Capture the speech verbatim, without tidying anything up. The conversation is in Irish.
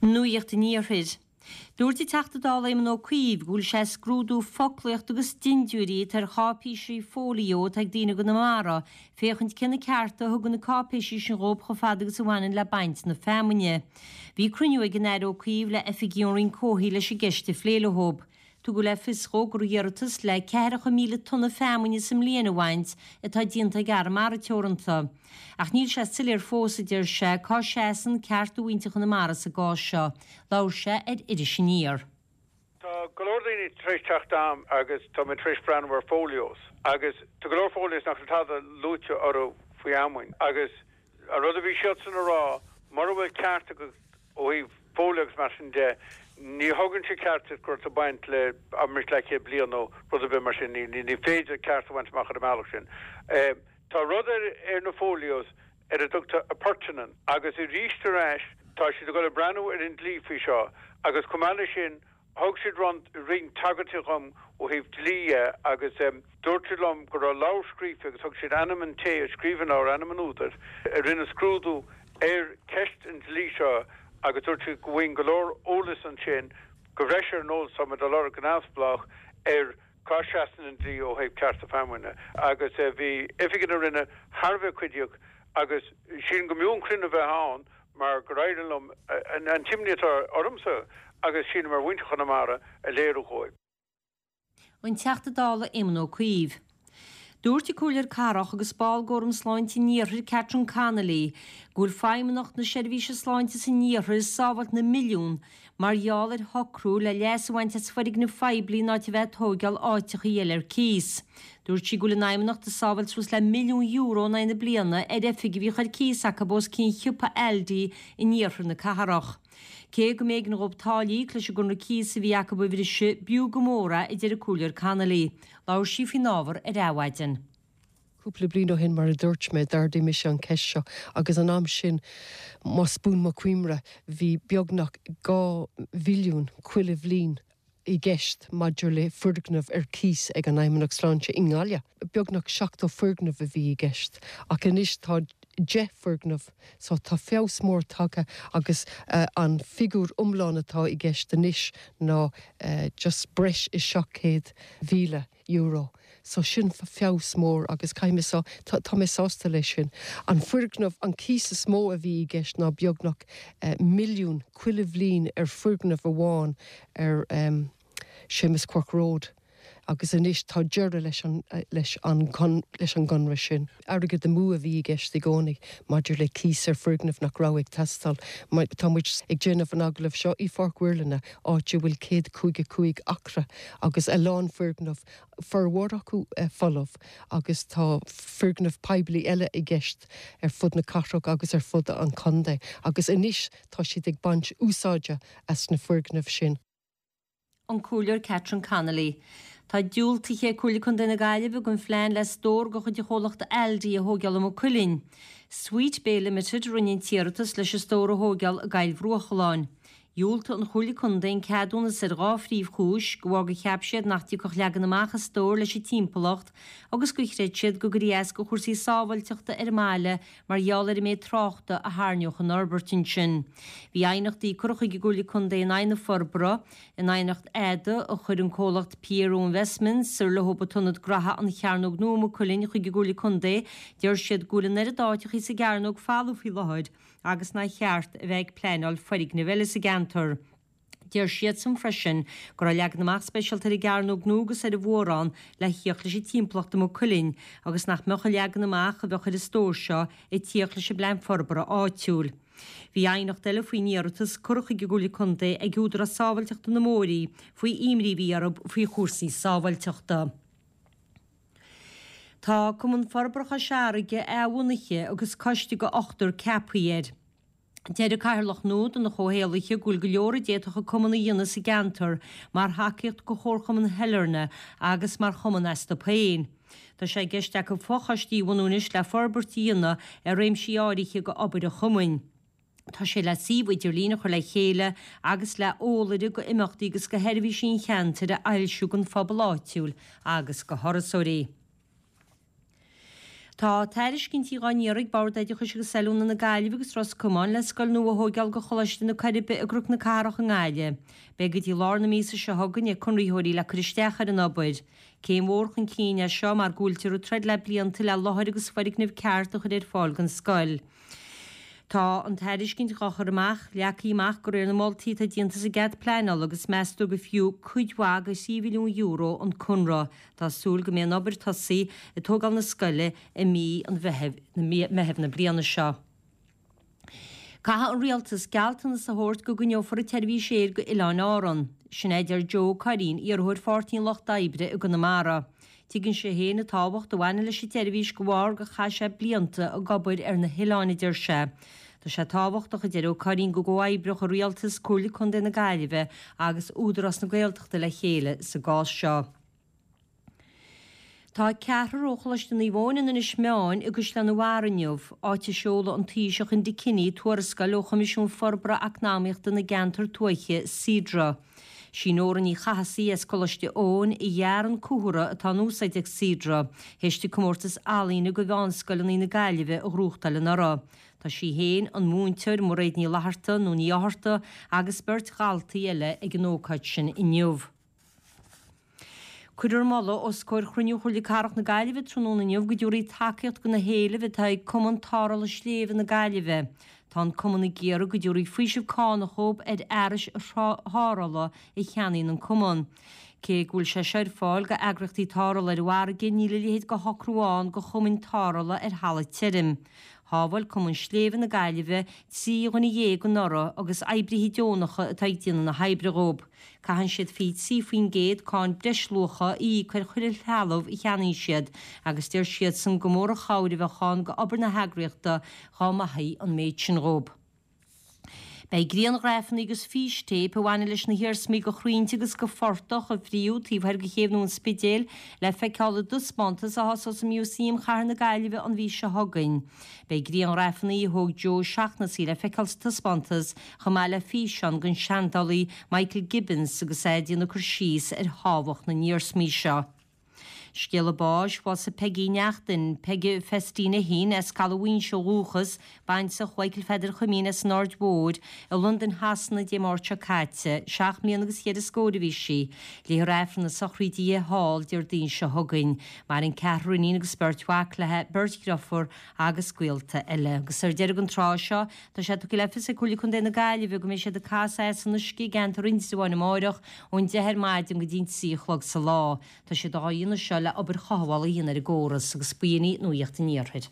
Nuacht an Iarthair. Dúirt an Teachta Dála Éamon Ó Cuív go bhfuil sé ag scrúdú foclaíocht agus dintiúirí atá ar cháipéisí fóilió atá ag daoine i gConamara, féachaint cé na cearta a thugann na cáipéisí sin dhóibh chomh fada agus a bhaineann le baint na feamainne. Bhí cruinniú ag an Aire Ó Cuív le oifigigh ón Roinn Comhshaoil leis an gceist a phlé leob. Tugadh le fios dhó gur iarratas le ceathracha míle tonna feamainne sa mbliain a bhaint atá déanta ag Arramara Teoranta. Ach níl sé soiléir fós, a deir sé, cá seasann cearta mhuintir Chonamara sa gcás seo. Labhair sé ar Iris Aniar. Tá go leor daoine tar éis teacht a'm agus tá mé tar éis breathnú ar folios agus tá go leor folios nach bhfuil tada luaite orthu faoi fheamainn agus an rud a bhí siadsan a rá mura bhfuil ceart agat ó thaobh folio agus mar sin de ní thugann sé ceart duit gur tú baint le abraimis leathchéad bliain nó rud ar bith mar sin ní ní féidir ceart a bhaint amach ar an mbealach sin. Tá rud ar ar na folios ar a dtugtar appurtenant agus arís ar ais tá siad ag dul ag breathnú ar an dlí faoi seo agus chomh maith leis sin thug siad roinnt tagairtí dhom ó thaobh dlí dhe agus dúirt siad liom go raibh leabhar scríofa agus thug siad ainm an té a scríobh an leabhar, ainm an údair, a rinne scrúdú ar cheist an dlí seo agus dúirt siad go bhfaighinn go leor eolas ansin, go bhreis ar an eolas atá muid a lorg go neamhspleách ar cá seasann an dlí ó thaobh cearta feamainne. Agus bhí oifigigh na Roinne thar a bheith cuiditheach agus sílim go mb'fhiú an cruinniú a bheith ann mar gur éirigh liom an t-imní atá ormsa agus sílim ar mhuintir Chonamara a léiriú dhóibh. An Teachta Dála Éamon Ó Cuív. Dúirt an Comhairleoir Cathrach agus ball d'Fhóram Sláinte an Iarthair Catherine Connolly go bhfuil Feidhmeannacht na Seirbhíse Sláinte san Iarthar ag sábháilt na milliún mar gheall ar shocrú le leas a bhaint as foirgnimh phoiblí in áit a bheith ag tóigeáil áiteachaí eile ar cíos. Dúirt sí go bhfuil an Fheidhmeannacht ag sábháilt suas le milliún euro in aghaidh na bliana ar oifig a bhíodh ar cíos acu os cionn shiopa Aldi in iarthar na cathrach. Cé go mb'éigean dhóibh táille a íoc leis an gconradh cíosa a bhí acu a bhriseadh, b'fhiú go mór é, a deir an Comhairleoir Connolly. Labhair sí faoin ábhar ar Adhmhaidin. Cúpla bliain ó shin, mar a dúirt mé, d'ardaigh mise an cheist seo agus an am sin, más buan mo chuimhne, bhí beagnach dhá mhilliún chuile bhliain i gceist maidir le foirgneamh ar cíos ag an Fheidhmeannacht Sláinte i nGaillimh. Beagnach seachtó foirgneamh a bhí i gceist ach anois tá deich foirgneamh so tá feabhas mór tagtha agus an figiúr iomlán atá i gceist anois ná just breis is seacht céad mhíle euro. So sin feabhas mór agus caithfidh mé sá, tá mé sásta leis sin. An foirgneamh, an cíos is mó a bhí i gceist ná beagnach milliún chuile bhliain ar foirgneamh amháin ar Seamus Quirke Road agus anois tá deireadh leis an leis an leis an gconradh sin. Airgead amú a bhí i gceist i gcónaí maidir le cíos ar foirgneamh nach raibh ag teastáil. Tá muid ag déanamh an agallaimh seo i Pháirc Mhuirlinne, áit a bhfuil céad caoga cúig acra agus a lán foirgneamh, formhór acu folamh, agus tá foirgneamh poiblí eile i gceist ar fud na cathrach agus ar fud an chontae agus anois tá siad ag baint úsáide as na foirgnimh sin. An Comhairleoir Catherine Connolly. Tá diúltaithe ag Comhairle Contae na Gaillimhe don phlean le stór de chuid an chomhlachta Aldi a thóigeáil i Maigh Cuilinn. Sweet Bay Limited a rinne an t-iarratas leis an stór a thóigeáil i gCoill Bhruachalláin. Dhiúltaigh an Chomhairle Contae an ceadúnas ar dhá phríomhchúis, de bharr gur cheap siad nach dtiocfadh leagan amach an stóir leis an timpeallacht agus gur chreid siad go gcuirfí as do chúrsaí sábháilteachta ar an mbaile mar gheall ar an méid tráchta a thairneodh an fhorbairt ansin. Bhí aighneachtaí curtha chuig an gComhairle Contae in aghaidh na forbartha, in aighneacht fhada a chuir an comhlacht Piero Investments, ar leo an t-ionad graithe An Chearnóg Nua i Maigh Cuilinn chuig an gComhairle Contae, deir siad go bhfuil an oiread áiteachaí sa gcearnóg folamh faoi láthair agus nár cheart a bheith ag pleanáil foirgneamh eile sa gceantar. Deir siadsan freisin go raibh leagan amach speisialta ar an gCearnóg Nua agus ar an Mhórán le thíocht leis an timpeallacht i Maigh Cuilinn agus nach mbeadh an leagan amach a bheadh ar an stór seo ag tíocht leis an bplean forbartha áitiúil. Bhí aighneacht eile faoin iarratas curtha chuig an gComhairle Contae ag Údarás Sábháilteachta na mBóithrí faoi imní a bhí orthu faoi chúrsaí sábháilteachta. Tá Cumann Forbartha Chois Fharraige athbhunaithe agus coiste de ochtar ceaptha air. Deir an Cathaoirleach nua de na Comhshaolaithe go bhfuil go leor a d'fhéadfadh an cumann a dhéanamh sa gceantar mar thacaíocht do Chomharchumann Shailearna agus mar chumann astu féin. Tá sé i gceist acu fochoistí a bhunú anois le forbairt a dhéanamh ar réimsí áirithe d'obair an chumainn. Tá sé le suíomh idirlín a chur le chéile agus le eolaire go imeachtaí agus go sheirbhísí an cheantair a fhoilsiú don phobal áitiúil agus go thurasóirí. Tá tairiscintí á n-iarraidh ag Bord Oideachais agus Oiliúna na Gaillimhe agus Ros Comáin le scoil nua a thóigeáil do Choláiste na Coiribe i gCnoc na Cathrach i nGaillimh. Beidh go dtí lár na míosa seo chugainn ag conraitheoirí le cur isteach ar an obair. Céim mhór chun cinn é seo mar go bhfuiltear ag troid le blianta le láthair agus foirgneamh ceart a chur ar fáil don scoil. Tá an tairiscint dhá chur amach leagtha amach de réir na moltaí atá déanta sa gcead pleanála agus meastar gur fiú cuid mhaith de thrí mhilliún euro an conradh. Tá súil go mbeidh an obair tosaithe ag tógáil na scoile i mí an Mheithimh na bliana seo. Caithfidh an Rialtas gealltanas a thabhairt go gcoinneofar an tseirbhís aeir go Oileáin Árann. Sin é a deir Joe Ó Curraoin, iarrthóir Pháirtí an Lucht Oibre i gConamara. Tuigeann sé féin an tábhacht a bhaineann leis an tseirbhís de bharr gur chaith sé blianta ag obair ar na hoileáin, a deir sé. Tá sé tábhachtach, a deir Ó Curraoin, go gcomhoibreodh an Rialtas, Comhairle Contae na Gaillimhe agus Údarás na Gaeltachta le chéile sa gcás seo. Tá ceathrar ó Choláiste Naomh Eoin in Inis Meáin i gCaisleán an Bharraigh inniu, áit a seoladh an Taoiseach Enda Kenny tuarascáil ó Choimisiún Forbartha Eacnamaíochta na gCeantar Tuaithe, Cedra. Sí Nóra Ní Chathasaigh as Coláiste Eoin a dhear an comhartha atá in úsáid ag Cedra, théis di comórtas ealaíne do mheánscoileanna na Gaillimhe a ghnóthachtáil anuraidh. Tá sí féin, an múinteoir Mairéad Ní Fhlatharta, nó Ní Fhátharta, agus beirt dhaltaí eile ag an ócáid sin inniu. Cuirfear moladh os comhair chruinniú Chomhairle Cathrach na Gaillimhe tráthnóna inniu go dtabharfaí tacaíocht do na héilimh atá ag Cumann Tarrthála Sléibhe na Gaillimhe. Tá an cumann ag iarraidh go dtabharfaí faoiseamh cánach dhóibh ar fhearais tarrthála a cheannaíonn an cumann. Cé go bhfuil sé seo ar fáil do eagraíochtaí tarrthála ar an bhfarraige, níl a leithéid de shocrú ann do chumainn tarrthála ar thalamh tirim. Shábháil Cumann Sléibhe na Gaillimhe trí dhuine dhéag anuraidh agus oibrithe deonacha atá ag déanamh na hoibre dhóibh. Caitheann siad fiche trí faoin gcéad cáin breisluacha a íoc ar chuile threalamh a cheannaíonn siad agus deir siadsan gur mór an chabhair a bheadh ann d'obair na heagraíochta dá maithfí an méid sin dhóibh. Beidh grianghrafanna agus fístéip a bhaineann leis na hiarsmaí de chrainnte agus de phortach a fríodh taobh thoir de chéibh nua an Spidéil le feiceáil i dtaispeántas a thosós i Músaem Chathair na Gaillimhe an mhí seo chugainn. Beidh grianghrafanna a thóg Joe Seachnasaí le feiceáil sa taispeántas chomh maith le físeán den seandálaí Michael Gibbons agus é ag déanamh cur síos ar thábhacht na n-iarsmaí seo. Scéala báis, Bhásaigh Peigí Neachtain, Peige Festina Heen as Caladh Mhaínse ó dhúchas, baintreach Mhichael Pheadair Chuimín as an Aird Mhóir, i Londain Shasana Dé Máirt seo caite. Seacht mbliana agus cheithre scór a bhí sí. Léifear Aifreann a sochraide di thall Déardaoin seo chugainn. Maireann ceathrar iníon agus beirt mhac léi, beirt dhriofúr agus gaolta eile. Agus ar deireadh an tráth seo, tá sé tugtha le fios ag Comhairle Contae na Gaillimhe go mbeidh siad ag casadh as an uisce i gceantar Indreabháin amáireach ón deich ar maidin go dtí an trí a chlog sa lá. Tá siad á dhéanamh seo le obair chothabhála a dhéanamh ar an gcóras agus b'in í Nuacht an Iarthair.